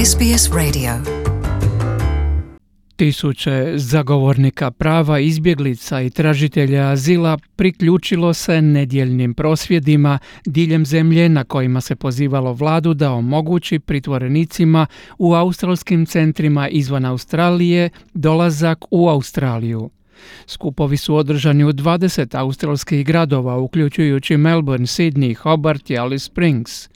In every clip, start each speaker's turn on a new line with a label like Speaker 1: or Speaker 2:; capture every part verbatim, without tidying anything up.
Speaker 1: S B S Radio.
Speaker 2: Tisuće zagovornika prava, izbjeglica i tražitelja azila priključilo se nedjeljnim prosvjedima diljem zemlje na kojima se pozivalo vladu da omogući pritvorenicima u australskim centrima izvan Australije dolazak u Australiju. Skupovi su održani u dvadeset australskih gradova, uključujući Melbourne, Sydney, Hobart i Alice Springs.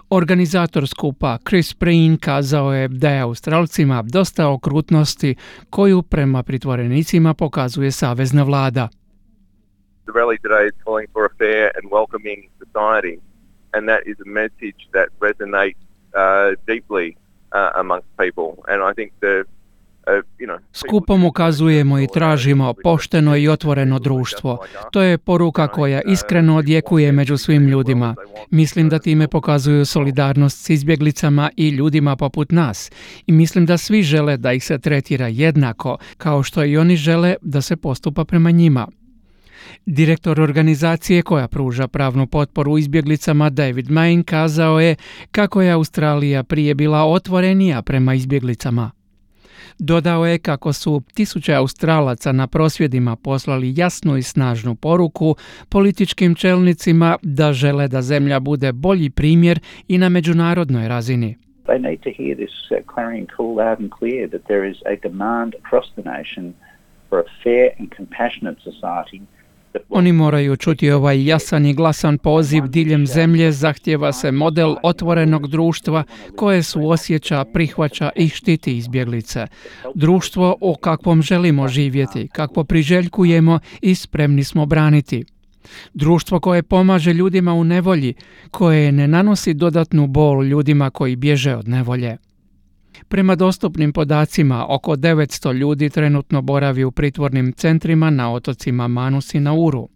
Speaker 2: Organizator skupa Chris Breen kazao je da je Australcima dosta okrutnosti koju prema pritvorenicima pokazuje savezna vlada.
Speaker 3: The rally today is calling for a fair and welcoming society, and that is a message that resonates uh, deeply uh, amongst people. And I think the
Speaker 2: Skupom ukazujemo i tražimo pošteno i otvoreno društvo. To je poruka koja iskreno odjekuje među svim ljudima. Mislim da time pokazuju solidarnost s izbjeglicama i ljudima poput nas. I mislim da svi žele da ih se tretira jednako, kao što i oni žele da se postupa prema njima. Direktor organizacije koja pruža pravnu potporu izbjeglicama David Main kazao je kako je Australija prije bila otvorenija prema izbjeglicama. Dodao je kako su tisuće Australaca na prosvjedima poslali jasnu i snažnu poruku političkim čelnicima da žele da zemlja bude bolji primjer i na međunarodnoj razini.
Speaker 4: They need to hear this uh, clarion call loud and clear that there is a demand across the nation for a fair and compassionate society.
Speaker 2: Oni moraju čuti ovaj jasan i glasan poziv diljem zemlje, zahtjeva se model otvorenog društva koje suosjeća, prihvaća i štiti izbjeglice. Društvo o kakvom želimo živjeti, kakvo priželjkujemo i spremni smo braniti. Društvo koje pomaže ljudima u nevolji, koje ne nanosi dodatnu bol ljudima koji bježe od nevolje. Prema dostupnim podacima, oko devetsto ljudi trenutno boravi u pritvornim centrima na otocima Manus i Nauru.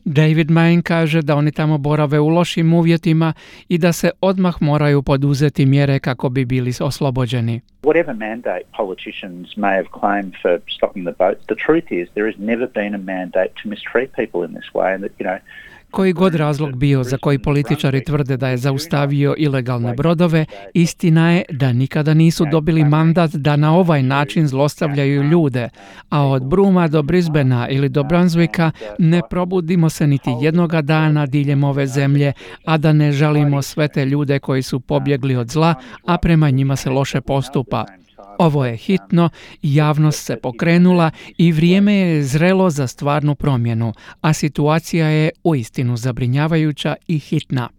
Speaker 2: David Main kaže da oni tamo borave u lošim uvjetima i da se odmah moraju poduzeti mjere kako bi bili oslobođeni.
Speaker 4: Whatever mandate politicians may have claimed for stopping the boats, the truth is there has never been a mandate to mistreat people in this way, and that, you know,
Speaker 2: Koji god razlog bio za koji političari tvrde da je zaustavio ilegalne brodove, istina je da nikada nisu dobili mandat da na ovaj način zlostavljaju ljude, a od Bruma do Brisbanea ili do Brunswicka ne probudimo se niti jednoga dana diljem ove zemlje, a da ne žalimo sve te ljude koji su pobjegli od zla, a prema njima se loše postupa. Ovo je hitno, javnost se pokrenula i vrijeme je zrelo za stvarnu promjenu, a situacija je uistinu zabrinjavajuća i hitna.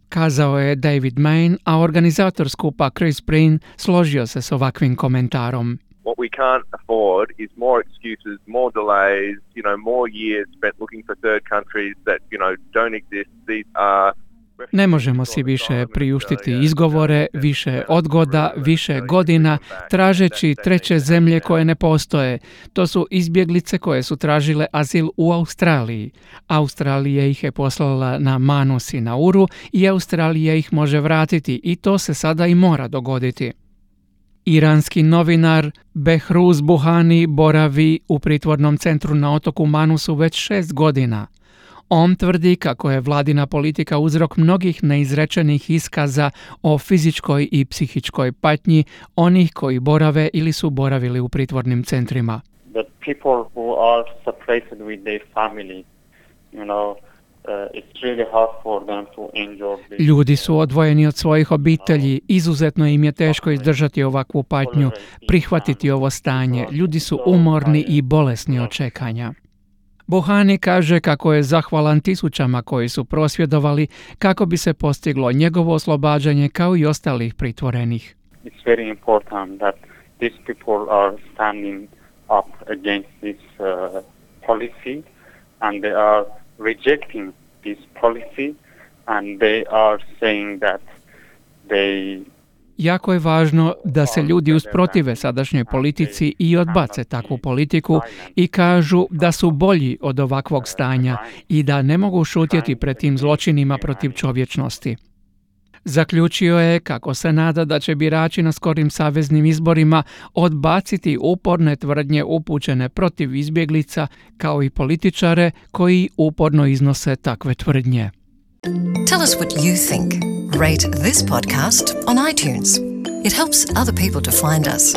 Speaker 2: Kazao je David Main, a organizator skupa Chris Breen složio se s ovakvim komentarom.
Speaker 3: What we can't afford is more excuses, more delays, you know, more years spent looking for third countries that, you know, don't exist. These are
Speaker 2: Ne možemo si više priuštiti izgovore, više odgoda, više godina, tražeći treće zemlje koje ne postoje. To su izbjeglice koje su tražile azil u Australiji. Australija ih je poslala na Manus i Nauru i Australija ih može vratiti i to se sada i mora dogoditi. Iranski novinar Behruz Buhani boravi u pritvornom centru na otoku Manusu već šest godina. On tvrdi kako je vladina politika uzrok mnogih neizrečenih iskaza o fizičkoj i psihičkoj patnji onih koji borave ili su boravili u pritvornim centrima.
Speaker 5: The people who are separated with their family, you know, uh, it's really hard for them to endure this.
Speaker 2: Ljudi su odvojeni od svojih obitelji, izuzetno im je teško izdržati ovakvu patnju, prihvatiti ovo stanje. Ljudi su umorni i bolesni od čekanja. Buhani kaže kako je zahvalan tisućama koji su prosvjedovali kako bi se postiglo njegovo oslobađanje kao i ostalih pritvorenih.
Speaker 5: It's very important that these people are standing up against this uh, policy and they are rejecting this policy and they are saying that they
Speaker 2: Jako je važno da se ljudi usprotive sadašnjoj politici i odbace takvu politiku i kažu da su bolji od ovakvog stanja i da ne mogu šutjeti pred tim zločinima protiv čovječnosti. Zaključio je kako se nada da će birači na skorim saveznim izborima odbaciti uporne tvrdnje upućene protiv izbjeglica kao i političare koji uporno iznose takve tvrdnje.
Speaker 1: Tell us what you think. Rate this podcast on iTunes. It helps other people to find us.